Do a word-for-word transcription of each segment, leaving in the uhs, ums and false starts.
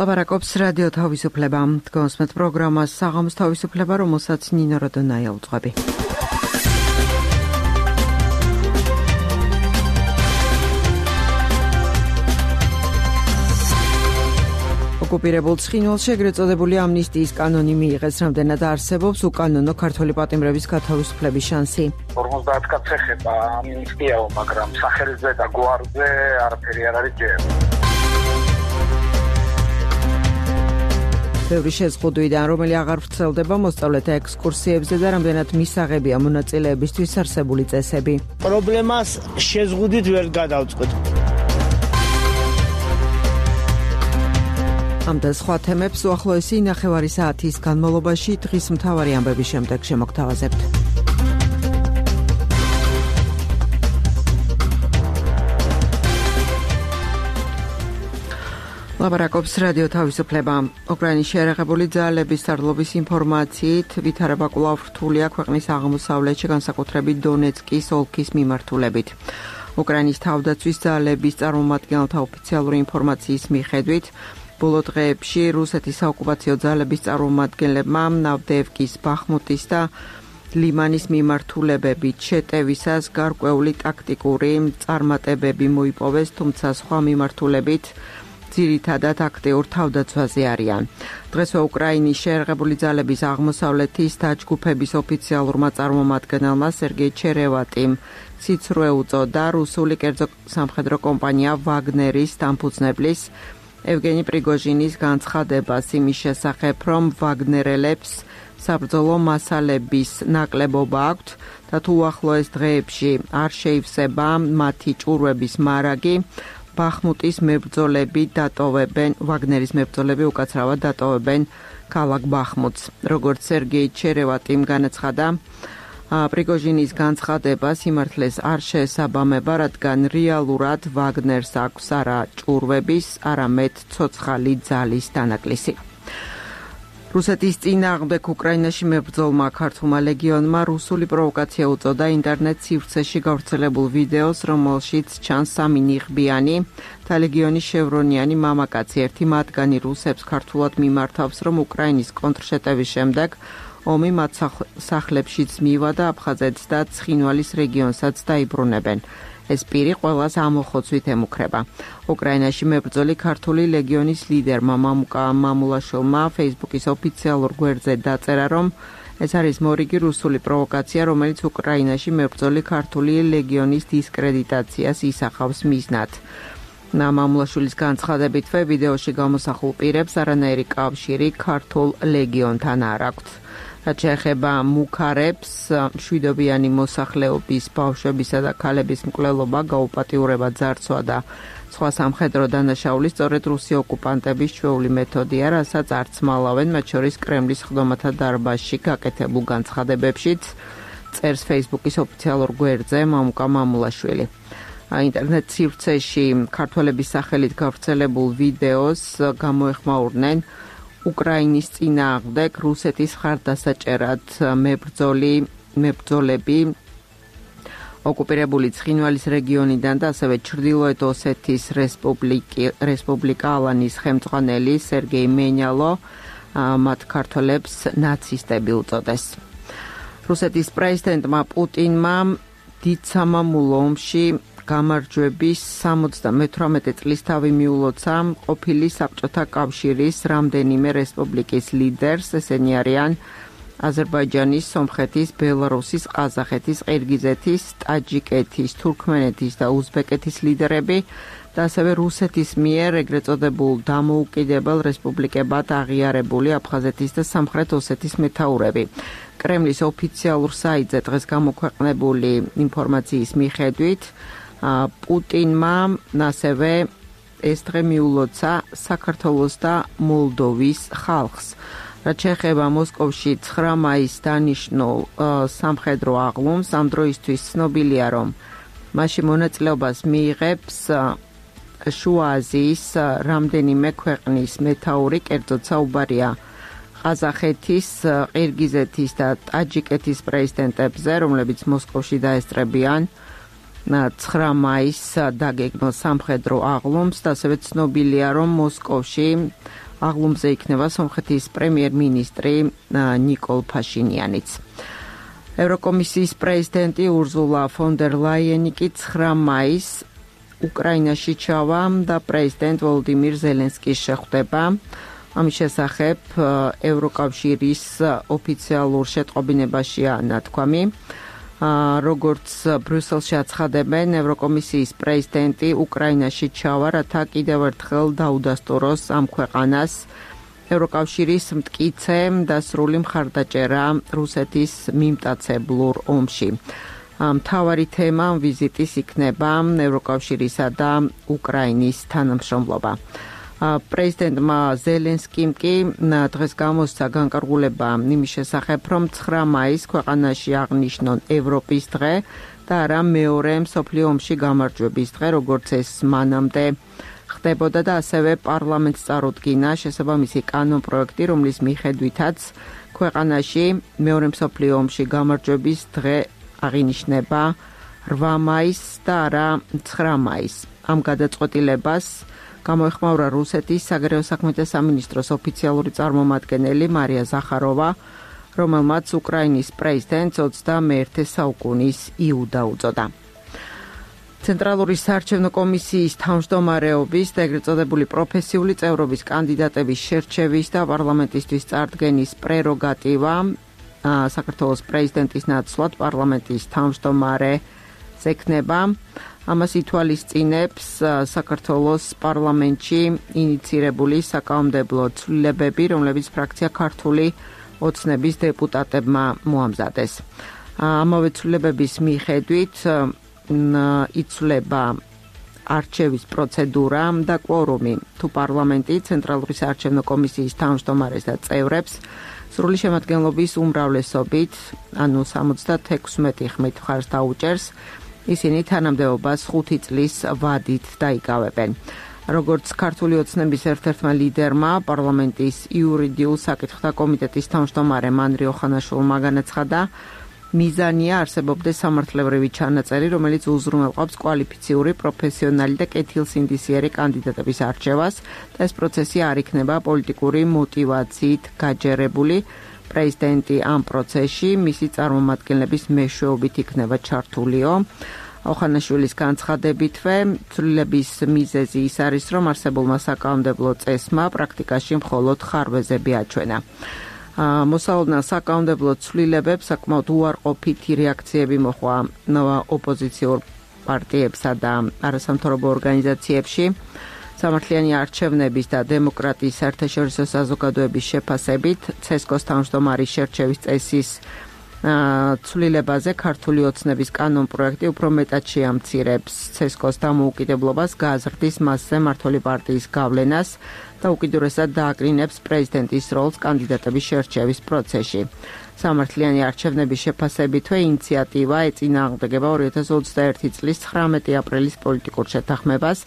ლაპარაკობს რადიო თავისუფლება. გონსმეთ პროგრამას საღამოს თავისუფლება, რომელსაც ნინო როდონაია უძღვები. ოკუპირებულ ცხინვალში ეგრეთ წოდებული ამნისტიის კანონი მიიღეს, რამდენად არსებობს უკანონო ქართველი პატიმრების გათავისუფლების შანსი. ორმოცდაათ კაცს ეხება ამნისტიაო, მაგრამ სახელზე და გვარზე არაფერი არ არის ჯერ. ბევრი შეზღუდვიდან, რომელი აღარ ვრცელდება მოსწავლეთა ექსკურსიებზე და რამდენად მისაღებია მონაწილეებისთვის არსებული წესები. პრობლემას შეზღუდვით ვერ გადავწყვეტ. ამ და სხვა თემებს უახლოესი ნახევარი საათის განმავლობაში დღის მთავარი ამბების შემდეგ შემოგთავაზებთ. ლაპარაკობს რადიო თავისუფლება. უკრაინის შეერაღებული ძალების სარდლობის ინფორმაციით, ვითარება კვლავ რთულია ქვეყნის აღმოსავლეთში, განსაკუთრებით დონეცკის ოლქის მიმართულებით. უკრაინის თავდაცვის ძალების წარმომადგენელთა ოფიციალური ინფორმაციის მიხედვით, ბოლო დღეებში რუსეთის საოკუპაციო ძალების წარმომადგენლებმა ნავდევკის, ბახმუტის და ლიმანის მიმართულებებით შეტევისას გარკვეული ტაქტიკური წარმატებები მოიპოვეს, თუმცა სხვა მიმართულებით ძირითადად აქტიურ თავდაცვაზე არიან. დღესვე უკრაინის შეერაღებული ძალების აღმოსავლეთის დაჯგუფების ოფიციალურმა წარმომადგენელმა სერგეი ჩერევატიმ სიცრუე უწოდა რუსული კერძო სამხედრო კომპანია ვაგნერის დამფუძნებლის ევგენი პრიგოჟინის განცხადებას იმის შესახებ, რომ ვაგნერელებს საბრძოლო მასალების ნაკლებობა აქვთ და თუ უახლოეს დღეებში არ შეივსება მათი ჭურვების მარაგი, ბახმუტის მებრძოლები დატოვებენ, ვაგნერის მებრძოლები უკაცრავად დატოვებენ ქალაქ ბახმუტს. როგორც სერგეი ჩერევატიმ განაცხადა, პრიგოჟინის განცხადება სიმართლეს არ შეესაბამება, რადგან რეალურად ვაგნერს აქვს არა ჭურვების, არამედ ცოცხალი ძალის დანაკლისი. რუსეთის წინააღმდეგ უკრაინაში მებრძოლმა ქართულმა ლეგიონმა რუსული პროვოკაცია უწოდა ინტერნეტ სივრცეში გავრცელებულ ვიდეოს, რომელშიც ჩანს სამი ნიღბიანი და ლეგიონის შევრონიანი მამაკაცი. ერთი მათგანი რუსებს ქართულად მიმართავს, რომ უკრაინის კონტრშეტევის შემდეგ ომი მათ სახლებშიც მივა და აფხაზეთს და ცხინვალის რეგიონსაც დაიბრუნებენ. ეს პირი ყველას ამოხოცვით ემუქრება. უკრაინაში მებრძოლი ქართული ლეგიონის ლიდერმა მამუკა მამულაშვილმა ფეისბუქის ოფიციალურ გვერდზე დაწერა, რომ ეს არის მორიგი რუსული პროვოკაცია, რომელიც უკრაინაში მებრძოლი ქართული ლეგიონის დისკრედიტაციას ისახავს მიზნად. მამულაშვილის განცხადებითვე ვიდეოში გამოსახულ პირებს არანაირი კავშირი ქართულ ლეგიონთან არ აქვთ. რაც შეეხება მუქარებს, მშვიდობიანი მოსახლეობის ბავშვებისა და ქალების მკვლელობა, გაუპატიურება, ძარცვა და სხვა სამხედრო დანაშაული სწორედ რუსი ოკუპანტების ჩვეული მეთოდია, რასაც არც მალავენ, მათ შორის კრემლის ხდომათა დარბაზში გაკეთებულ განცხადებებშიც, წერს ფეისბუქის ოფიციალურ გვერდზე მამუკა მამულაშვილი. ინტერნეტ სივრცეში ქართველების სახელით გავრცელებულ ვიდეოს გამოეხმაურნენ უკრაინის წინააღმდეგ რუსეთის მხარდასაჭერად მებრძოლი მებრძოლები ოკუპირებული ცხინვალის რეგიონიდან და ასევე ჩრდილოეთ ოსეთის რესპუბლიკა ალანის ხელმძღვანელი სერგეი მენიალო მათ ქართველებს ნაცისტები უწოდეს. რუსეთის პრეზიდენტმა პუტინმა დიდ სამამულო ომში გამარჯვების სამოცდამეთვრამეტე წლის თავი მიულოცა ყოფილი საბჭოთა კავშირის რამდენიმე რესპუბლიკის ლიდერს, ესენი არიან აზერბაიჯანის, სომხეთის, ბელარუსის, ყაზახეთის, ყირგიზეთის, ტაჯიკეთის, თურქმენეთის და უზბეკეთის ლიდერები და ასევე რუსეთის მიერ ეგრეთ წოდებულ დამოუკიდებელ რესპუბლიკებად აღიარებული აფხაზეთის და სამხრეთ ოსეთის მეთაურები. კრემლის ოფიციალურ საიტზე დღეს გამოქვეყნებული ინფორმაციის მიხედვით, პუტინმა ასევე ეს დღე მიულოცა საქართველოს და მოლდოვის ხალხს. რაც შეეხება მოსკოვში ცხრა მაისს დანიშნულ სამხედრო აღლუმს, ამ დროისთვის ცნობილია, რომ მასში მონაწილეობას მიიღებს შუა აზიის რამდენიმე ქვეყნის მეთაური, კერძოდ საუბარია ყაზახეთის, ყირგიზეთის და ტაჯიკეთის პრეზიდენტებზე, რომლებიც მოსკოვში დაესწრებიან ცხრა მაისს დაგეგმილ სამხედრო აღლუმს და ასევე ცნობილია, რომ მოსკოვში აღლუმზე იქნება სომხეთის პრემიერ-მინისტრი ნიკოლ ფაშინიანიც. ევროკომისიის პრეზიდენტი ურზულა ფონ დერ ლაიენი კი ცხრა მაისს უკრაინაში ჩავა და პრეზიდენტ ვოლოდიმირ ზელენსკის შეხვდება. ამის შესახებ ევროკავშირის ოფიციალურ შეტყობინებაშია ნათქვამი. როგორც ბრიუსელში აცხადებენ, ევროკომისიის პრეზიდენტი უკრაინაში ჩავა, რათა კიდევ ერთხელ დაუდასტუროს ამ ქვეყანას ევროკავშირის მტკიცე და სრული მხარდაჭერა რუსეთის მიმტაცებლურ ომში. მთავარი თემა ვიზიტის იქნება ევროკავშირისა და უკრაინის თანამშრომლობა. პრეზიდენტმა ზელენსკიმ კი დღეს გამოსცა განკარგულება იმის შესახებ, რომ ცხრა მაისს ქვეყანაში აღნიშნონ ევროპის დღე და არა მეორე მსოფლიო ომში გამარჯვების დღე, როგორც ეს მანამდე ხდებოდა და ასევე პარლამენტს წარუდგინა შესაბამისი კანონპროექტი, რომლის მიხედვითაც ქვეყანაში მეორე მსოფლიო ომში გამარჯვების დღე აღინიშნება რვა მაისს და არა ცხრა მაისს. ამ გადაწყვეტილებას გამოეხმაურა რუსეთის საგარეო საქმეთა სამინისტროს ოფიციალური წარმომადგენელი მარია ზახაროვა, რომელმაც უკრაინის პრეზიდენტს ოცდამეერთე საუკუნის იუდა უწოდა. ცენტრალური საარჩევნო კომისიის თავმჯდომარეობის და ეგრეთ წოდებული პროფესიული წევრობის კანდიდატების შერჩევის და პარლამენტისთვის წარდგენის პრეროგატივა საქართველოს პრეზიდენტის ნაცვლად პარლამენტის თავმჯდომარეს ექნება. ამას ითვალისწინებს საქართველოს პარლამენტში ინიცირებული საკანონმდებლო ცვლილებები, რომლებიც ფრაქცია ქართული ოცნების დეპუტატებმა მოამზადეს. ამავე ცვლილებების მიხედვით იცვლება არჩევის პროცედურა და კვორუმი, თუ პარლამენტი ცენტრალური საარჩევნო კომისიის თავმჯდომარეს და წევრებს სრული შემადგენლობის უმრავლესობით, ანუ სამოცდათექვსმეტი ხმით მხარს დაუჭერს, ისინი თანამდებობას ხუთი წლის ვადით დაიკავებენ. როგორც ქართული ოცნების ერთ-ერთმა ლიდერმა, პარლამენტის იურიდიულ საკითხთა კომიტეტის თავმჯდომარე მანრი ოხანაშვილმა განაცხადა, მიზანია არსებობდეს სამართლებრივი ჩანაწერი, რომელიც უზრუნველყოფს კვალიფიციური, პროფესიონალი და კეთილსინდისიერი კანდიდატების არჩევას და ეს პროცესი არ იქნება პოლიტიკური მოტივაციით გაჯერებული. პრეზიდენტი ამ პროცესში მისი წარმომადგენლების მეშვეობით იქნება ჩართულიო. ოხანაშვილის განცხადებითვე, ცვლილების მიზეზი ის არის, რომ არსებულმა საკანონმდებლო წესმა პრაქტიკაში მხოლოდ ხარვეზები აჩვენა. მოსალოდნელ საკანონმდებლო ცვლილებებს საკმაოდ უარყოფითი რეაქციები მოჰყვა ოპოზიციურ პარტიებსა და არასამთავრობო ორგანიზაციებში. სამართლიანი არჩევნების და დემოკრატიის საერთაშორისო საზოგადოების შეფასებით ცესკოს თავმჯდომარის შერჩევის წესის ცვლილებაზე ქართული ოცნების კანონპროექტი უფრო მეტად შეამცირებს ცესკოს დამოუკიდებლობას, გააზრდის მასზე მმართველი პარტიის გავლენას და უკიდურესად დააკრინებს პრეზიდენტის როლს კანდიდატების შერჩევის პროცესში. სამართლიანი არჩევნების შეფასებითვე ინიციატივა ეწინააღმდეგება ორი ათას ოცდაერთი წლის ცხრამეტი აპრილის პოლიტიკურ შეთანხმებას,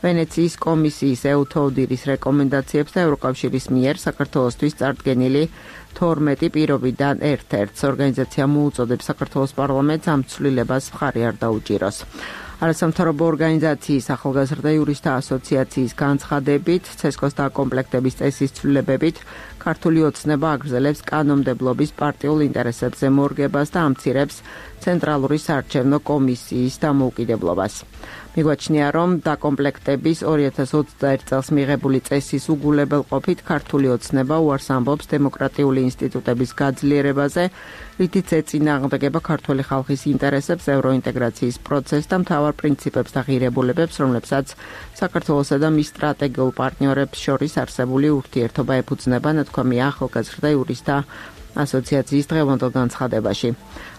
ვენეციის კომისიის ეუთოდირის რეკომენდაციებს და ევროკავშირის მიერ საქართველოსთვის წარდგენილი თორმეტი პირობიდან ერთ-ერთს. ორგანიზაცია მოუწოდებს საქართველოს პარლამენტს ამ ცვლილებას მხარი არ დაუჭიროს. არასამთავრობო ორგანიზაციის ახალგაზრდა იურისტთა ასოციაციის განცხადებით, ცესკოს დაკომპლექტების წესის ცვლილებებით ქართული ოცნება აგრძელებს კანონმდებლობის პარტიულ ინტერესებზე მორგებას და ამცირებს ცენტრალური საარჩევნო კომისიის დამოუკიდებლობას. მიგვაჩნია, რომ დაკომპლექტების ორი ათას ოცდაერთ წელს მიღებული წესის უგულებელყოფით ქართული ოცნება უარს ამბობს დემოკრატიული ინსტიტუტების გაძლიერებაზე, რითიც ეწინააღმდეგება ქართული ხალხის ინტერესებს, ევროინტეგრაციის პროცესს და მთავარ პრინციპებს და ღირებულებებს, რომლებსაც საქართველოსა და მის სტრატეგიულ პარტნიორებს შორის არსებული ურთიერთობა ეფუძნება, ნათქვამია ახალგაზრდა იურისტთა ასოციაციის დღევანდელ განცხადებაში.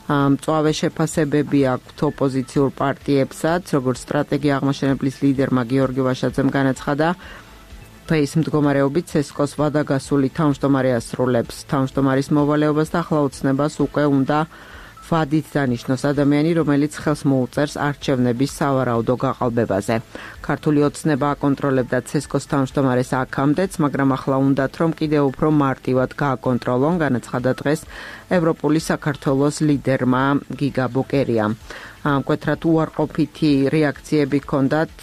მწვავე შეფასებები აქვთ ოპოზიციურ პარტიებსაც, როგორც სტრატეგია აღმაშენებლის ლიდერმა გიორგი ვაშაძემ განაცხადა, დღეის მდგომარეობით ცესკოს ვადაგასული თავმჯდომარე ასრულებს თავმჯდომარის მოვალეობას და ახლა ოცნებას უკვე უნდა ვადით დანიშნოს ადამიანი, რომელიც ხელს მოუწერს არჩევნების სავარაუდო გაყალბებაზე. ქართული ოცნება აკონტროლებდა ცესკოს თავმჯდომარეს აქამდეც, მაგრამ ახლა უნდათ, რომ კიდევ უფრო მარტივად გააკონტროლონ, განაცხადა დღეს ევროპული საქართველოს ლიდერმა გიგა ბოკერიამ. მკვეთრად უარყოფითი რეაქციები ჰქონდათ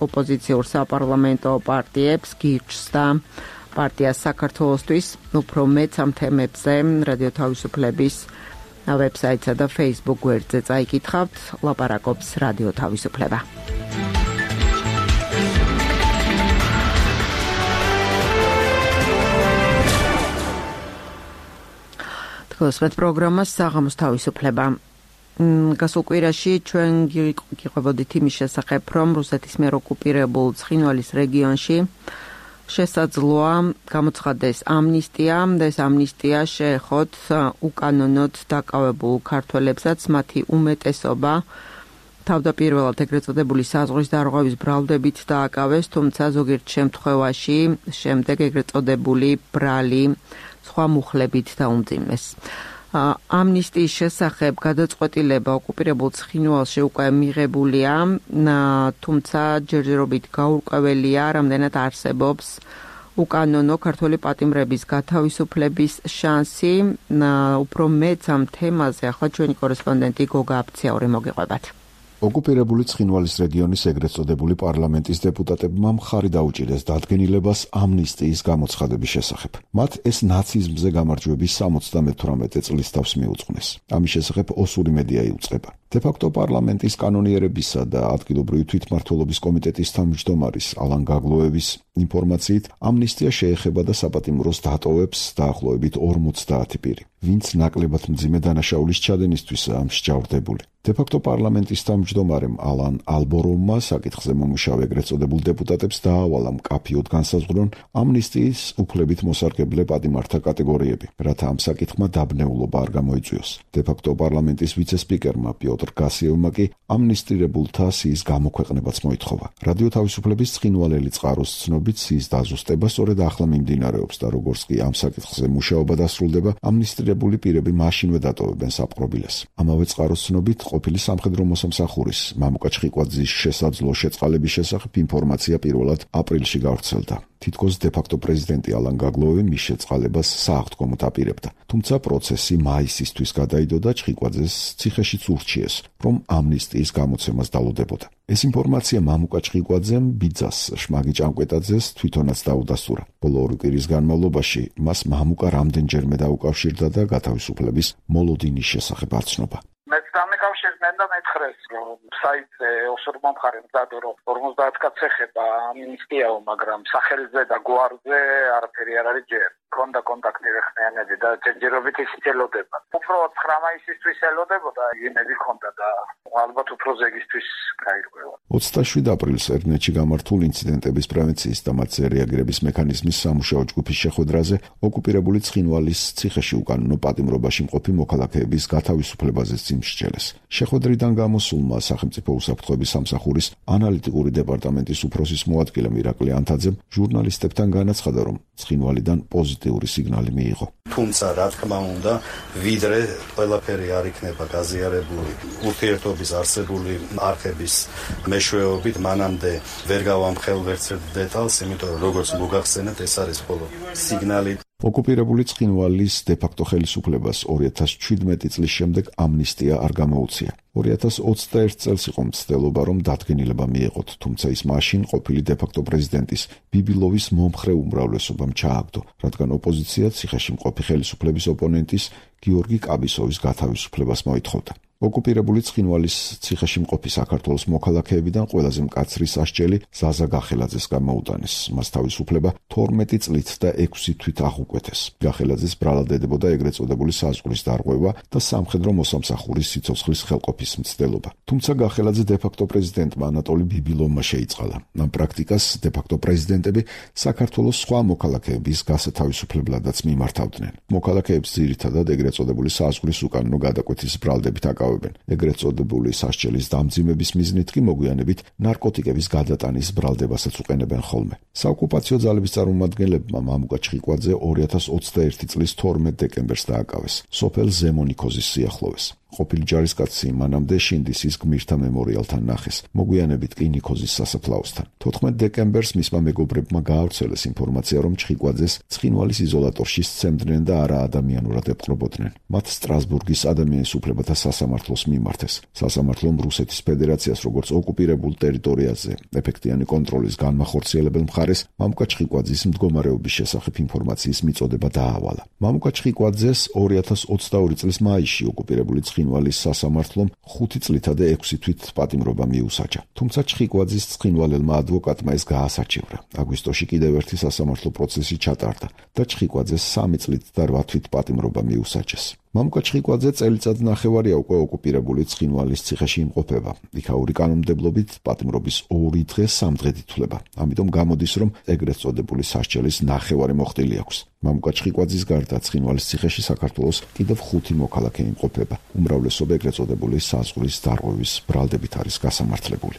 ოპოზიციურ საპარლამენტო პარტიებს, გირჩს და პარტიას საქართველოსთვის. უფრო მეც ამ თემებზე რადიო თავისუფლების ვებსაიტსა და Facebook გვერდზე წაიკითხავთ. ლაპარაკობს რადიო თავისუფლება. თქოსმეთ პროგრამას საღამოს თავისუფლება. გასულ კვირაში ჩვენ გიყვებოდით იმის შესახებ, რომ რუსეთის მიერ ოკუპირებულ ცხინვალის რეგიონში შესაძლოა გამოცხადდეს ამნისტია და ეს ამნისტია შეეხოთ უკანონოდ დაკავებულ ქართველებსაც, მათი უმეტესობა თავდაპირველად ეგრეთ წოდებული საზღვრის დარღვევის ბრალდებით დააკავეს, თუმცა ზოგიერთ შემთხვევაში შემდეგ ეგრეთ წოდებული ბრალი სხვა მუხლებით დაუმძიმეს. ამნისტიის შესახებ გადაწყვეტილება ოკუპირებულ ცხინვალში უკვე მიღებულია, თუმცა ჯერჯერობით გაურკვეველია, რამდენად არსებობს უკანონო ქართველი პატიმრების გათავისუფლების შანსი. უფრო მეც ამ თემაზე ახლა ჩვენი კორესპონდენტი გოგა აფციაური მოგიყვებათ. ოკუპირებული ცხინვალის რეგიონის ეგრეთ წოდებული პარლამენტის დეპუტატებმა მხარი დაუჭირეს დადგენილებას ამნისტიის გამოცხადების შესახებ. მათ ეს ნაციზმზე გამარჯვების სამოცდამეთვრამეტე წლის თავს მიუძღვნეს. ამის შესახებ ოსური მედია იუწყება. დე-ფაქტო პარლამენტის კანონიერებისა და ადგილობრივი თვითმმართველობის კომიტეტის თავმჯდომარის ალან გაგლოევის ინფორმაციით, ამნისტია შეეხება და საპატიმროს დატოვებს დაახლოებით ორმოცდაათი პირი, ვინც ნაკლებად მძიმე დანაშაულის ჩადენისთვისაა მსჯავრდებული. დე-ფაქტო პარლამენტის თავმჯდომარემ ალან ალბოროვმა საკითხზე მომუშავე ეგრეთ წოდებულ დეპუტატებს დაავალა მკაფიოდ განსაზღვრონ ამნისტიის უფლებით მოსარგებლე პატიმართა კატეგორიები, რათა ამ საკითხმა დაბნეულობა არ გამოიწვიოს. დე-ფაქტო პარლამენტის ვიცე-სპიკერმა პიოტრ გასიევმა კი ამნისტირებულთა სიის გამოქვეყნებაც მოითხოვა. რადიო თავისუფლების ცხინვალელი წყაროს ცნობით, სიის დაზუსტება სწორედ ახლა მიმდინარეობს და როგორც კი ამ საკითხზე მუშაობა დასრულდება, ამნისტირებული პირები მაშინვე დატოვებენ საპყრობილეს. ამავე წყაროს ცნობით, ყოფილი სამხედრო მოსამსახურის მამუკა ჩხიკვაძის შესაძლო შეწყალების შესახებ ინფორმაცია პირველად აპრილში გავრცელდა. თითქოს დე-ფაქტო პრეზიდენტი ალან გაგლოევი მის შეწყალებას სააღდგომოდ აპირებდა. თუმცა პროცესი მაისისთვის გადაიდო და ჩხიკვაძეს ციხეშიც ურჩიეს, რომ ამნისტიის გამოცემას დალოდებოდა. ეს ინფორმაცია მამუკა ჩხიკვაძემ ბიძას შმაგი ჭანკვეტაძეს თვითონაც დაუდასტურა. ბოლო ორი კვირის განმავლობაში მას მამუკა რამდენჯერმე დაუკავშირდა და გათავისუფლების მოლოდინის შესახებ არცნობა. მეც დამეკავშირდნენ და მეცხრეს, რომ საიტზე ოსურმა მხარემ დადო, რომ ორმოცდაათ კაცს ეხება ამნისტიაო, მაგრამ სახელზე და გვარზე არაფერი არ არის ჯერ. კონდა კონტაქტი რეხნიანები და ჯერჯერობით ისიც ელოდება. უფრო ცხრა მაისისთვის ელოდებოდა, იმედი ჰქონდა და ალბათ უფრო ზეგისთვის გაირკვევა. ოცდაშვიდ აპრილს ერნეთში გამართულ ინციდენტების პრევენციის და მათზე რეაგირების მექანიზმის სამუშაო ჯგუფის შეხვედრაზე ოკუპირებული ცხინვალის ციხეში უკანონო პატიმრობაში მყოფი მოქალაქეების გათავისუფლებაზე სიმსჯელეს. შეხვედრიდან გამოსულმა სახელმწიფო უსაფრთხოების სამსახურის ანალიტიკური დეპარტამენტის უფროსის მოადგილე მირაკლი ანთაძემ ჟურნალისტებთან განაცხადა, რომ ცხინვალიდან პოზიტიური სიგნალი მიიღო. თუმცა რა თქმა უნდა, ვიდრე ყველაფერი არ იქნება გაზიარებული ურთიერთობის არსებული არხების მეშვეობით, მანამდე ვერ გავამხელ ვერც ერთ დეტალს, იმიტომ რომ როგორც მოგახსენეთ, ეს არის მხოლოდ სიგნალი. ოკუპირებული ცხინვალის დე-ფაქტო ხელისუფლებას ორი ათას ჩვიდმეტი წლის შემდეგ ამნისტია არ გამოუწია. ორი ათას ოცდაერთ წელს იყო მცდელობა, რომ დადგენილება მიეღოთ, თუმცა ის მაშინ ყოფილი დე-ფაქტო პრეზიდენტის ბიბილოვის მომხრე უმრავლესობამ ჩააგდო, რადგან ოპოზიცია ციხეში მყოფი ხელისუფლების ოპონენტის გიორგი კაბისოვის გათავისუფლებას მოითხოვდა. ოკუპირებული ცხინვალის ციხეში მყოფი საქართველოს მოქალაქეებიდან ყველაზე მკაცრი სასჯელი ზაზა გახელაძეს გამოუტანეს. მას თავისუფლება თორმეტი წლით და ექვსი თვით აღუკვეთეს. გახელაძეს ბრალად ედებოდა ეგრეთ წოდებული საზღვრის დარღვევა და სამხედრო მოსამსახურის სიცოცხლის ხელყოფის მცდელობა. თუმცა გახელაძე დე-ფაქტო პრეზიდენტმა ანატოლი ბიბილოვმა შეიწყალა. ამ პრაქტიკას დე-ფაქტო პრეზიდენტები საქართველოს სხვა მოქალაქეების გასათავისუფლებლადაც მიმართავდნენ. მოქალაქეებს ძირითადად ეგრეთ წოდებული საზღვრის უკანონო გადაკვეთის ბრალდებით აკავებდნენ. ეგრეთ წოდებული სასჯელის დამძიმების მიზნით კი მოგვიანებით ნარკოტიკების გადატანის ბრალდებასაც უყენებენ ხოლმე. საოკუპაციო ძალების წარმომადგენლებმა მამუკა ჩხიკვაძე ორი ათას ოცდაერთი წლის თორმეტ დეკემბერს დააკავეს, სოფელ ზემონიქოზის სიახლოვეს. ყოფილი ჯარისკაცი მანამდე შინდისის გმირთა მემორიალთან ნახეს, მოგვიანებით კი ნიქოზის სასაფლაოსთან. თოთხმეტ დეკემბერს მისმა მეგობრებმა გაავრცელეს ინფორმაცია, რომ ჩხიკვაძეს ცხინვალის იზოლატორში სცემდნენ და არა ადამიანურად ეპყრობოდნენ. მათ სტრასბურგის ადამიანის უფლებათა სასამართლოს მიმართეს. სასამართლომ რუსეთის ფედერაციას როგორც ოკუპირებულ ტერიტორიაზე ეფექტიანი კონტროლის განმახორციელებელ მხარეს მამუკა ჩხიკვაძის მდგომარეობის შესახებ ინფორმაციის მიწოდება დაავალა. მამუკა ჩხიკვაძეს ორი ათას ოცდაორი წლის მაისში ოკუპირებული ცხინვალის სასამართლომ ხუთი წლითა და ექვსი თვით პატიმრობა მიუსაჯა. თუმცა ჩხიკვაძის ცხინვალელმა ადვოკატმა ეს გაასაჩივრა. აგვისტოში კიდევ ერთი სასამართლო პროცესი ჩატარდა და ჩხიკვაძეს სამი წლით და რვა თვით პატიმრობა მიუსაჯეს. მამუკა ჩხიკვაძე წელიწად ნახევარია უკვე ოკუპირებული ცხინვალის ციხეში იმყოფება. იქაური კანონმდებლობით პატიმრობის ორი დღე სამ დღედ ითვლება. ამიტომ გამოდის, რომ ეგრეთ წოდებული სასჯელის ნახევარი მოხდილი აქვს. მამუკა ჩხიკვაძის გარდა ცხინვალის ციხეში საქართველოს კიდევ ხუთი მოქალაქე იმყოფება. უმრავლესობა ეგრეთ წოდებული საზღვრის დარღვევის ბრალდებით არის გასამართლებული.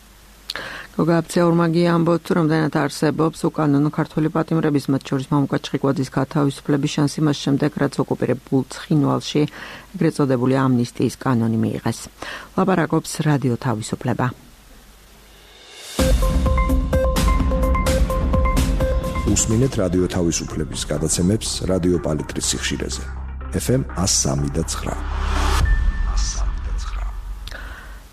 გოგაბცე ორმაგია ამბობს, რომ რამდენად არსებობს უკანონო ქართული პატიმრების, მათ შორის მამუკა ჩხიკვაძის გათავისუფლების შანსი მას შემდეგ, რაც ოკუპირებულ ცხინვალში ეგრეთ წოდებული ამნისტიის კანონი მიიღეს. ლაპარაკობს რადიო თავისუფლება. უსმინეთ რადიო თავისუფლების გადაცემებს რადიო პალიტრის სიხშირეზე. ეფ ემ one oh three და nine.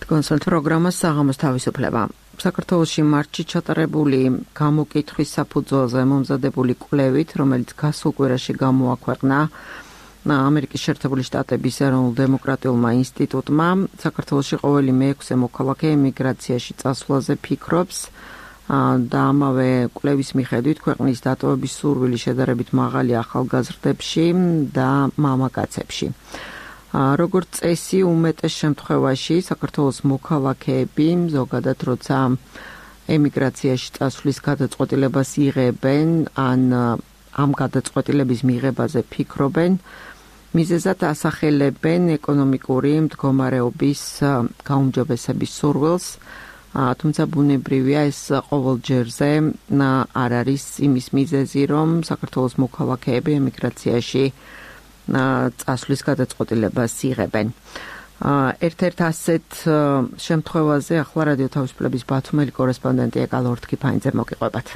კონსულტ პროგრამა საღამოს თავისუფლება. საქართველოში მარტში ჩატარებული გამოკითხვის საფუძველზე მომზადებული კვლევით, რომელიც გასულ კვირაში გამოაქვეყნა ამერიკის შეერთებული შტატების ეროვნულ დემოკრატიულმა ინსტიტუტმა, საქართველოში ყოველი მეექვსე მოქალაქე ემიგრაციაში წასვლაზე ფიქრობს და ამავე კვლევის მიხედვით ქვეყნის დატოვების სურვილი შედარებით მაღალი ახალგაზრდებში და მამაკაცებში. როგორც წესი, უმეტეს შემთხვევაში საქართველოს მოქალაქეები ზოგადად როცა ემიგრაციაში წასვლის გადაწყვეტილებას იღებენ, ან ამ გადაწყვეტილების მიღებაზე ფიქრობენ, მიზეზად ასახელებენ ეკონომიკური მდგომარეობის გაუმჯობესების სურვილს, თუმცა ბუნებრივია ეს ყოველ ჯერზე არ არის იმის მიზეზი, რომ საქართველოს მოქალაქეები ემიგრაციაში წასვლის გადაწყვეტილებას იღებენ. ერთ-ერთ ასეთ შემთხვევაზე ახლა რადიო თავისუფლების ბათუმელი კორესპონდენტი ეკალ ორთქიფანიძე მოგიყვებათ.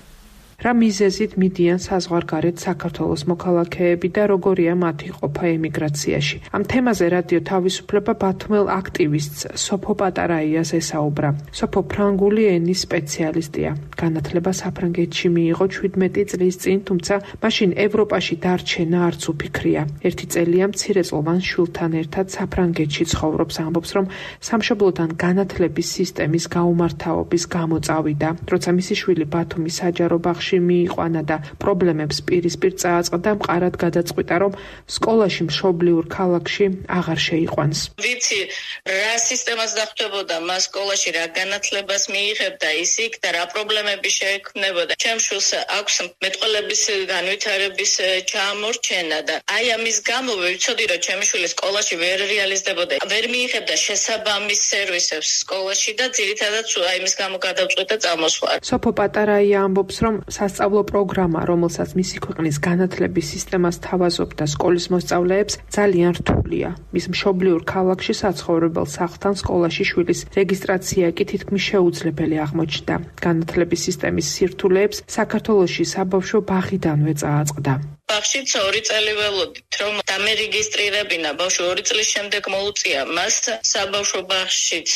რა მიზეზით მიდიან საზღვარგარეთ საქართველოს მოქალაქეები და როგორია მათი ყოფა ემიგრაციაში. ამ თემაზე რადიო თავისუფლება ბათუმელ აქტივისტს სოფო პატარაიას ესაუბრა. სოფო ფრანგული ენის სპეციალისტია. განათლება საფრანგეთში მიიღო შვიდმეტი წლის წინ, თუმცა მაშინ ევროპაში დარჩენა არც უფიქრია. ერთი წელია მცირეწლოვან შვილთან ერთად საფრანგეთში ცხოვრობს, ამბობს, რომ სამშობლოდან განათლების სისტემის გაუმართავობის გამო წავიდა. როცა მისი შვილი ბათუმის საჯარო ბაღში მიიყვანა და პრობლემებს პირისპირ წააწყდა, მყარად გადაწყვიტა, რომ სკოლაში მშობლიურ ქალაქში აღარ შეიყვანს. ვიცი რა სისტემას დახვდებოდა მას სკოლაში, რა განათლებას მიიღებდა ის იქ და რა პრობლემები შეექმნებოდა. ჩემ შვილს აქვს მეტყველების განვითარების ჩამორჩენა და აი ამის გამო ვიცოდი, რომ ჩემი შვილი სკოლაში ვერ რეალიზდებოდა, ვერ მიიღებდა შესაბამის სერვისებს სკოლაში და ძირითადად აი ამის გამო გადავწყვიტა წამოსვლა. სოფო პატარაია ამბობს, რომ სასწავლო პროგრამა, რომელსაც მისი ქვეყნის განათლების სისტემას თავაზობდა სკოლის მოსწავლეებს, ძალიან რთულია. მის მშობლიურ ქალაქში საცხოვრებელ სახლთან სკოლაში შვილის რეგისტრაცია კი თითქმის შეუძლებელი აღმოჩნდა. განათლების სისტემის სირთულეებს საქართველოში საბავშვო ბაღიდანვე წააწყდა. ბაღშიც ორი წელი ველოდით, რომ დამერეგისტრირებინა ბავშვი ორი წლის შემდეგ მოუწია მას საბავშვო ბაღშიც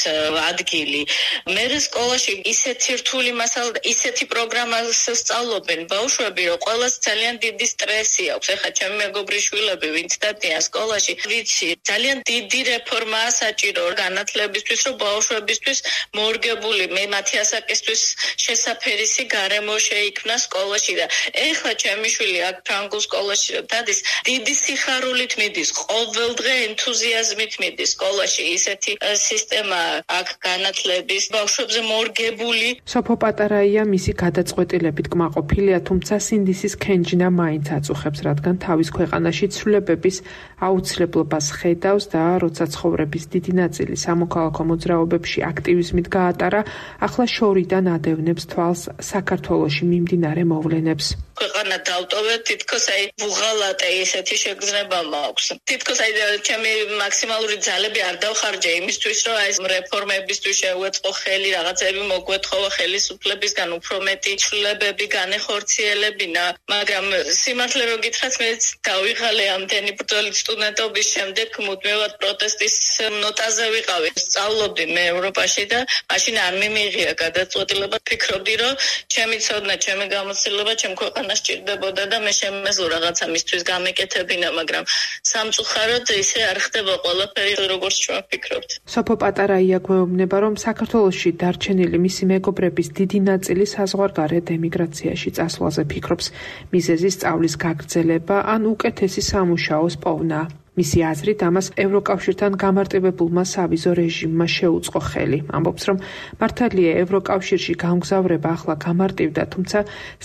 ადგილი. მე სკოლაში ისეთი რთული მასალა და ისეთი პროგრამას სწავლობენ ბავშვები, რომ ყველას ძალიან დიდი სტრესი აქვს. ეხლა ჩემი მეგობრის შვილები, ვინც დადიან სკოლაში, ვიცი, ძალიან დიდი რეფორმაა საჭირო განათლებისთვის, რომ ბავშვებისთვის მორგებული, მე მათი ასაკისთვის შესაფერისი გარემო შეიქმნა სკოლაში და ეხლა ჩემი შვილი აქ ფრანგულ სკოლაში დადის, დიდი სიხარულით მიდის, ყოველდღე ენთუზიაზმით მიდის სკოლაში. ისეთი სისტემა აქ განათლების ბავშვებზე მორგებული. სოფო პატარაია მისი გადაწყვეტილებით კმაყოფილია, თუმცა სინდისის ქენჯნა მაინც აწუხებს, რადგან თავის ქვეყანაში ცვლილებების აუცილებლობას ხედავს და როცა ცხოვრების დიდი ნაწილი სამოქალაქო მოძრაობებში აქტივიზმით გაატარა, ახლა შორიდან ადევნებს თვალს საქართველოში მიმდინარე მოვლენებს. ქვეყანა დავტოვეთ, თითქოს აი ვუღალატე ესეთი შეგრძნება მაქვს. თითქოს აი ჩემი მაქსიმალური ძალები არ დავხარჯე იმისთვის, რომ აი რეფორმებისთვის შევეწყო ხელი, რაღაცები მოგვეთხოვა ხელისუფლებისგან უფრო მეტი ცვლილებები განეხორციელებინა, მაგრამ სიმართლე რო გითხრათ, მე დავიღალე ამდენი ბრძოლით სტუდენტობის შემდეგ მუდმივად პროტესტის ნოტაზე ვიყავი. სწავლობდი მე ევროპაში და მაშინ არ მიმიღია გადაწყვეტილება. ფიქრობდი, რომ ჩემი ცოდნა, ჩემი გამოცდილება ჩემ ქვეყანას ჭირდებოდა და მე შემეძლო რაღაცა მისთვის გამეკეთებინა, მაგრამ სამწუხაროდ ისე არ ხდება ყველაფერი, როგორც ჩვენ ვფიქრობთ. სოფო პატარაია გვეუბნება, რომ საქართველოში დარჩენილი მისი მეგობრების დიდი ნაწილი საზღვარგარეთ ემიგრაციაში წასვლაზე ფიქრობს. მიზეზი სწავლის გაგრძელება ან უკეთესი სამუშაოს პოვნა. მისი აზრით, ამას ევროკავშირთან გამარტივებულმა სავიზო რეჟიმმა შეუწყო ხელი. ამბობს, რომ მართალია ევროკავშირში გამგზავრება ახლა გამარტივდა, თუმცა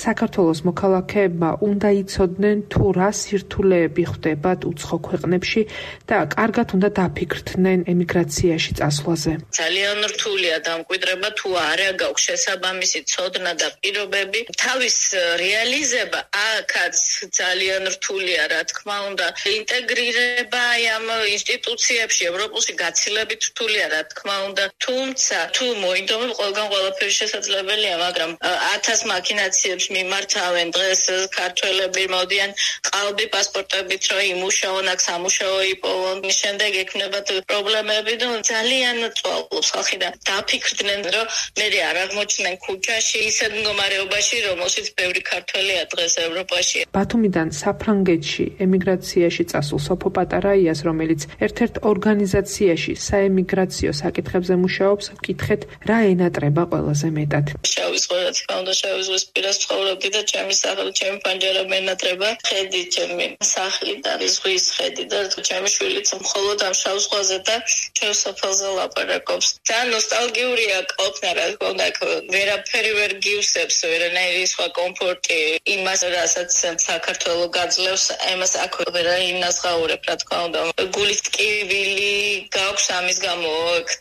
საქართველოს მოქალაქეებმა უნდა იცოდნენ თუ რა სირთულეები ხვდებათ უცხო ქვეყნებში და კარგად უნდა დაფიქრდნენ ემიგრაციაში წასვლაზე. ძალიან რთულია დამკვიდრება, თუ არა გაქვს შესაბამისი ცოდნა და პირობები. თავის რეალიზება აქაც ძალიან რთულია, რა თქმა უნდა. ინტეგრირება აი ამ ინსტიტუციებში ევროპულში გაცილებით რთულია, რა თქმა უნდა. თუმცა თუ მოინდომებ, ყველგან ყველაფერი შესაძლებელია, მაგრამ ათას მაქინაციებს მიმართავენ დღეს ქართველები მოდიან ყალბი პასპორტებით, რომ იმუშაონ, აქ სამუშაო იპოვონ, შემდეგ ექნებათ პრობლემები და ძალიან წვალობს ხალხი და დაფიქრდნენ, რომ მე არ აღმოჩნდნენ ქუჩაში ისეთ მდგომარეობაში, რომელშიც ბევრი ქართველია დღეს ევროპაში. ბათუმიდან საფრანგეთში ემიგრაციაში წასულ სოფო პატარაიას, რომელიც ერთ-ერთ ორგანიზაციაში საემიგრაციო საკითხებზე მუშაობს, ვკითხეთ, რა ენატრება ყველაზე მეტად. შავი ზღვა, რა თქმა უნდა, შავი ზღვის პირას ცხოვრობდი და ჩემი სახლი, ჩემი პანჯარა მენატრება, ხედი ჩემი სახლი და ზღვის ხედი და ჩემი შვილიც მხოლოდ ამ შავ ზღვაზე და ჩემს სოფელზე ლაპარაკობს. ძალიან ნოსტალგიურია ყოფნა, რა თქმა უნდა, ვერაფერი ვერ გივსებს, ვერანაირი სხვა კომფორტი იმას, რასაც საქართველო გაძლევს, ამას აქ ვერ ინაზღაურებ, რა თქმა უნდა. გულით ტკივილი გაქვს ამის გამო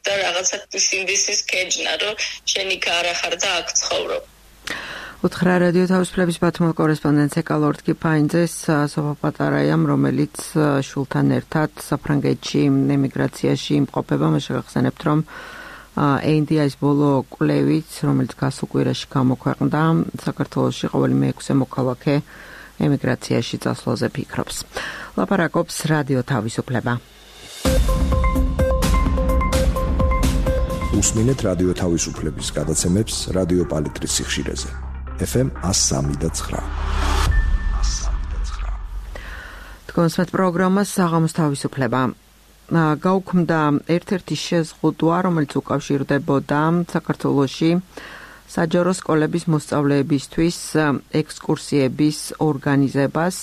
და რაღაცა სინდისის ქეჯნა, რომ შენ იქ არ ახარ და აქ ცხოვრობ. უთხრა რადიო თავისუფლების ბათუმის კორესპონდენტ ეკალორდ კიფაინძეს სოფო პატარაიამ, რომელიც შულთან ერთად საფრანგეთში ემიგრაციაში იმყოფება, მე შეგახსენებთ, რომ эй ენ დი აის ბოლო კვლევით, რომელიც გასულ კვირაში გამოქვეყნდა, საქართველოში ყოველი მეექვსე მოქალაქე ემიგრაციაში წასვლაზე ფიქრობს. ლაპარაკობს რადიო თავისუფლება. უსმინეთ რადიო თავისუფლების გადაცემებს რადიო პალიტრის სიხშირეზე. ეფ ემ one oh three point nine. თქვენსმეთ პროგრამას საღამოს თავისუფლება. გაუქმდა ერთ-ერთი შეზღუდვა, რომელიც უკავშირდებოდა საქართველოში საჯარო სკოლების მოსწავლეებისთვის ექსკურსიების ორგანიზებას.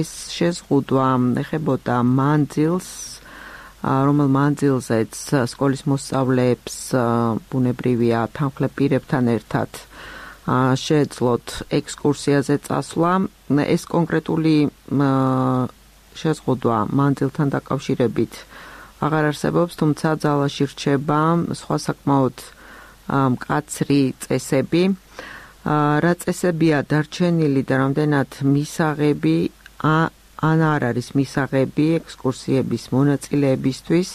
ეს შეზღუდვა ეხებოდა მანძილს, რომელ მანძილზეც სკოლის მოსწავლეებს ბუნებრივია თანხლებ პირებთან ერთად შეეძლოთ ექსკურსიაზე წასვლა. ეს კონკრეტული შეზღუდვა მანძილთან დაკავშირებით აღარ არსებობს, თუმცა ძალაში რჩება სხვა საკმაოდ მკაცრი წესები. რა წესებია დარჩენილი და რამდენად მისაღები ან არ არის მისაღები ექსკურსიების მონაწილეებისთვის,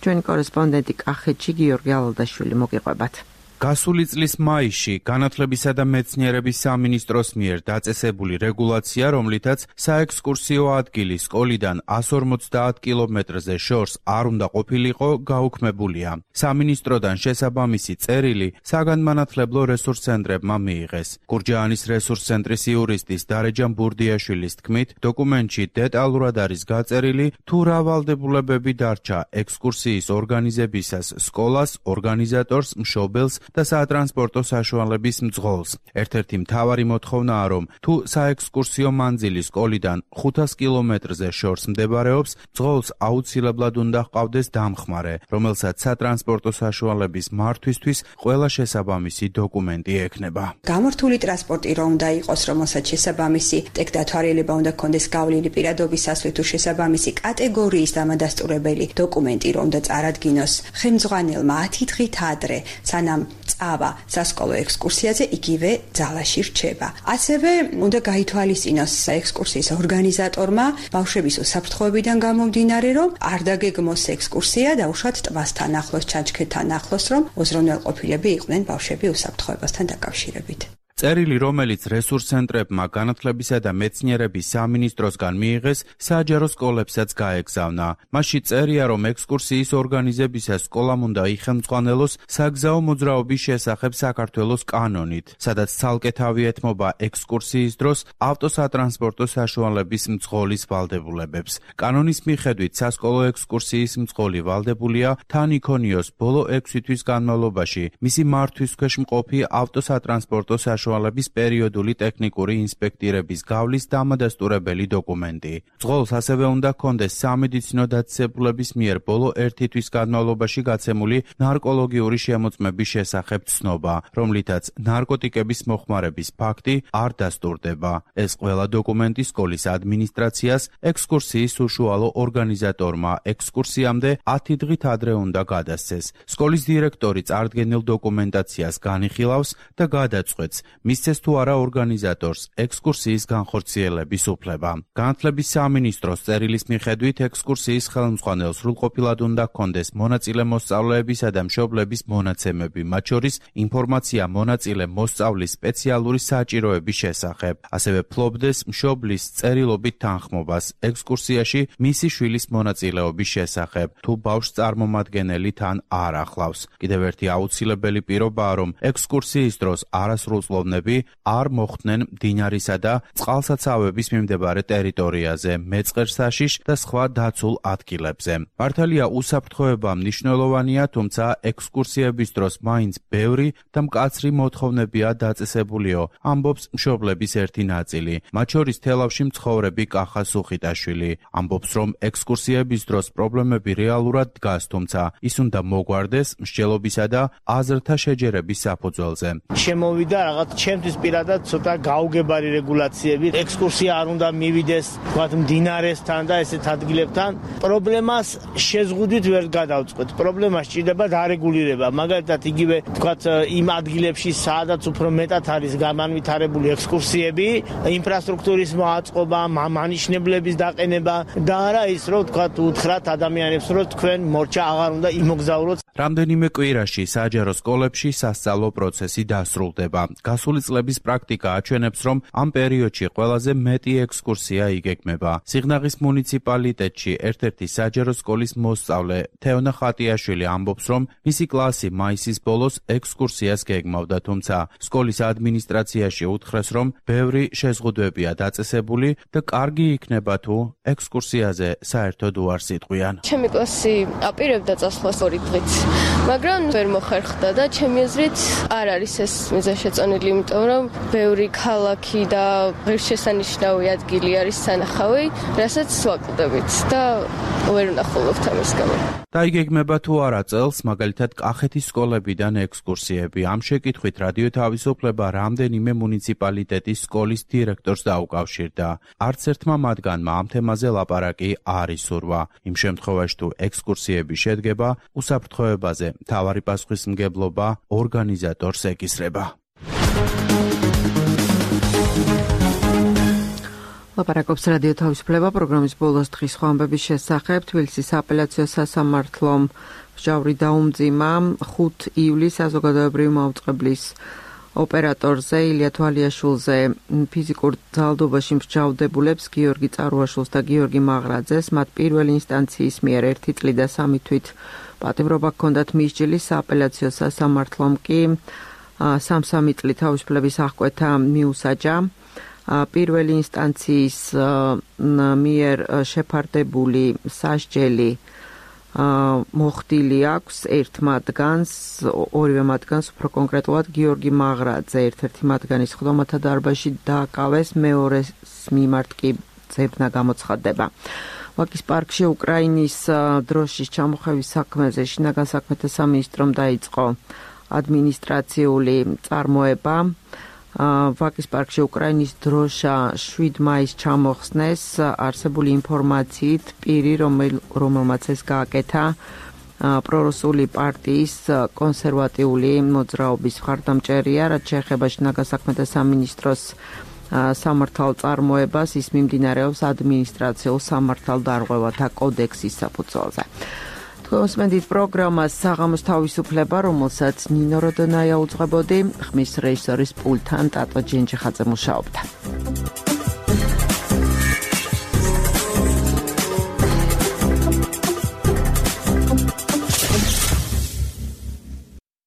ჩვენი კორესპონდენტი კახეთში გიორგი ალალდაშვილი მოგიყვებათ. გასული წლის მაისში განათლებისა და მეცნიერების სამინისტროს მიერ დაწესებული რეგულაცია, რომლითაც საექსკურსიო ადგილი სკოლიდან one forty კილომეტრზე შორს არ უნდა ყოფილიყო, გაუქმებულია. სამინისტროდან შესაბამისი წერილი საგანმანათლებლო რესურს ცენტრებმა მიიღეს. გურჯაანის რესურს ცენტრის იურისტის დარეჯან ბურდიაშვილის თქმით, დოკუმენტში დეტალურად არის გაწერილი, თუ რა ვალდებულებები დარჩა ექსკურსიის ორგანიზებისას სკოლას, ორგანიზატორს, მშობელს და სატრანსპორტო საშუალების მძღოლს. ერთ-ერთი მთავარი მოთხოვნაა, რომ თუ საექსკურსიო მანძილი სკოლიდან ხუთ კილომეტრზე შორს მდებარეობს, მძღოლს აუცილებლად უნდა ჰყავდეს დამხმარე, რომელსაც სატრანსპორტო საშუალების მართვისთვის ყველა შესაბამისი დოკუმენტი ექნება. გამორთული ტრანსპორტი რომ უნდა იყოს, რომელსაც შესაბამისი ტექდათვალიერება უნდა ჰქონდეს გავლილი პირადობის სასვლით თუ შესაბამისი კატეგორიის დამადასტურებელი დოკუმენტი რომ უნდა წარადგინოს ხელმძღვანელმა ათი დღით ადრე, სანამ წავა სასკოლო ექსკურსიაზე, იგივე ძალაში რჩება. ასევე უნდა გაითვალისწინოს ექსკურსიის ორგანიზატორმა ბავშვების უსაფრთხოებიდან გამომდინარე, რომ არ დაგეგმოს ექსკურსია დაუშვათ ტბასთან ახლოს, ჩანჩქერთან ახლოს, რომ უზრუნველყოფილები იყვნენ ბავშვები უსაფრთხოებასთან დაკავშირებით. წერილი, რომელიც რესურს ცენტრებმა განათლებისა და მეცნიერების სამინისტროსგან მიიღეს, საჯარო სკოლებსაც გაეგზავნა. მასში წერია, რომ ექსკურსიის ორგანიზებისას სკოლამ უნდა იხელმძღვანელოს საგზაო მოძრაობის შესახებ საქართველოს კანონით, სადაც ცალკე თავი ეთმობა ექსკურსიის დროს ავტოსატრანსპორტო საშუალების მძღოლის ვალდებულებებს. კანონის მიხედვით სასკოლო ექსკურსიის მძღოლი ვალდებულია თან იქონიოს ბოლო ექვსი თვის განმავლობაში მისი მართვის ქვეშ მყოფი ავტოსატრანსპორტო საშუალების საშუალების პერიოდული ტექნიკური ინსპექტირების გავლის დამადასტურებელი დოკუმენტი. მძღოლს ასევე უნდა ჰქონდეს სამედიცინო დაწესებულების მიერ ბოლო ერთი თვის განმავლობაში გაცემული ნარკოლოგიური შემოწმების შესახებ ცნობა, რომლითაც ნარკოტიკების მოხმარების ფაქტი არ დასტურდება. ეს ყველა დოკუმენტი სკოლის ადმინისტრაციას, ექსკურსიის უშუალო ორგანიზატორმა ექსკურსიამდე ათი დღით ადრე უნდა გადასცეს. სკოლის დირექტორი წარდგენილ დოკუმენტაციას განიხილავს და გადაწყვეტს, მისცეს თუ არა ორგანიზატორს ექსკურსიის განხორციელების უფლება. განათლების სამინისტროს წერილის მიხედვით ექსკურსიის ხელმძღვანელს სრულყოფილად უნდა ჰქონდეს მონაწილე მოსწავლეებისა და მშობლების მონაცემები, მათ შორის ინფორმაცია მონაწილე მოსწავლის სპეციალური საჭიროების შესახებ. ასევე ფლობდეს მშობლის წერილობით თანხმობას ექსკურსიაში მისი შვილის მონაწილეობის შესახებ, თუ ბავშვს წარმომადგენელი თან არ ახლავს. კიდევ ერთი აუცილებელი პირობაა, რომ ექსკურსიის დროს არასრულ წყლობნები არ მოხვდნენ მდინარისა და წყალსაცავების მიმდებარე ტერიტორიაზე, მეწყერსაშიშ და სხვა დაცულ ადგილებზე. მართალია უსაფრთხოება მნიშვნელოვანია, თუმცა ექსკურსიების დროს მაინც ბევრი და მკაცრი მოთხოვნებია დაწესებულიო, ამბობს მშობლების ერთი ნაწილი. მათ შორის თელავში მცხოვრები კახა სუხიტაშვილი. ამბობს, რომ ექსკურსიების დროს პრობლემები რეალურად დგას, თუმცა ის უნდა მოგვარდეს მსჯელობისა და აზრთა შეჯერების საფუძველზე. შემოვიდა რაღაც ჩემთვის პირადად ცოტა გაუგებარი რეგულაციები. ექსკურსია არ უნდა მივიდეს თქვათ მდინარესთან და ესეთ ადგილებთან. პრობლემას შეზღუდვით ვერ გადავწყვეტ. პრობლემა სჭირდება დარეგულირება. მაგალითად, იგივე თქვათ იმ ადგილებში, სადაც უფრო მეტად არის გამანვითარებული ექსკურსიები, ინფრასტრუქტურის მოაწყობა, მანიშნებლების დაყენება და არა ის, რომ თქვათ უთხრათ ადამიანებს, რომ თქვენ მორჩა აღარ უნდა იმოგზაუროთ. რამდენიმე კვირაში საჯარო სკოლებში სასწავლო პროცესი დასრულდება. გასული წლების პრაქტიკა აჩვენებს, რომ ამ პერიოდში ყველაზე მეტი ექსკურსია იგეგმება. სიღნაღის მუნიციპალიტეტში ერთ-ერთი საჯარო სკოლის მოსწავლე თეონა ხატიაშვილი ამბობს, რომ მისი კლასი მაისის ბოლოს ექსკურსიას გეგმავდა, თუმცა სკოლის ადმინისტრაციაში უთხრეს, რომ ბევრი შეზღუდვებია დაწესებული და კარგი იქნება თუ ექსკურსიაზე საერთოდ უარს იტყვიან. ჩემი კლასი აპირებდა წასვლას ორი დღით, მაგრამ ვერ მოხერხდა და ჩემი აზრით არ არის ეს მიზანშეწონილი, იმიტომ რომ ბევრი ქალაქი და ღირსშესანიშნავი ადგილი არის სანახავი, რასაც ვაკლდებით და ვერ ვნახულობთ ამის გამო. დაიგეგმება თუ არა წელს, მაგალითად კახეთის სკოლებიდან ექსკურსიები. ამ შეკითხვით რადიო თავისუფლება რამდენიმე მუნიციპალიტეტის სკოლის დირექტორს დაუკავშირდა. არც ერთმა მათგანმა ამ თემაზე ლაპარაკი არ ისურვა. იმ შემთხვევაში თუ ექსკურსიები შედგება, უსაფრთხოებაზე მთავარი პასუხისმგებლობა ორგანიზატორს ეკისრება. ლაპარაკობს რადიო თავისუფლება პროგრამის ბოლოს დღის ხვამბების შესახებ. თბილისის აპელაციო სასამართლომ მსჯავრი დაუმძიმა ხუთი ივლისს საზოგადოებრივი მაუწყებლის ოპერატორზე ილია თვალიაშვილზე ფიზიკურ ძალადობაში მსჯავრდებულებს გიორგი წარუაშვილს და გიორგი მაღრაძეს მათ პირველი ინსტანციის მიერ ერთი წლით და სამი თვით პატიმრობა ჰქონდათ მისჯილი. სააპელაციო სასამართლომ კი სამ-სამი წლით თავისუფლების აღკვეთა მიუსაჯა. პირველი ინსტანციის მიერ შეფარდებული სასჯელი მოხდილი აქვს ერთ მათგანს, ორივე მათგანს უფრო კონკრეტულად გიორგი მაღრაძე ერთ-ერთი მათგანის ხდომათა დარბაზში დააკავეს, მეორეს მიმართ კი ძებნა გამოცხადდება. ვაკის პარკში უკრაინის დროშის ჩამოხევის საქმეზე შინაგან საქმეთა სამინისტრომ დაიწყო ადმინისტრაციული წარმოება. ვაკის პარკში უკრაინის დროშა შვიდ მაისს ჩამოხსნეს არსებული ინფორმაციით, პირი, რომელმაც ეს გააკეთა, პრორუსული პარტიის კონსერვატიული მოძრაობის მხარდამჭერია, რაც შეეხება შინაგან საქმეთა სამინისტროს სამართალ წარმოებას, ის მიმდინარეობს ადმინისტრაციულ სამართალდარღვევათა კოდექსის საფუძველზე. თქვენს პროგრამას საღამოს თავისუფლება, რომელსაც ნინო როდონაია უძღვებოდი, ხმის რეჟისორის პულტთან ტატო ჯენჯიხაძე მუშაობდა.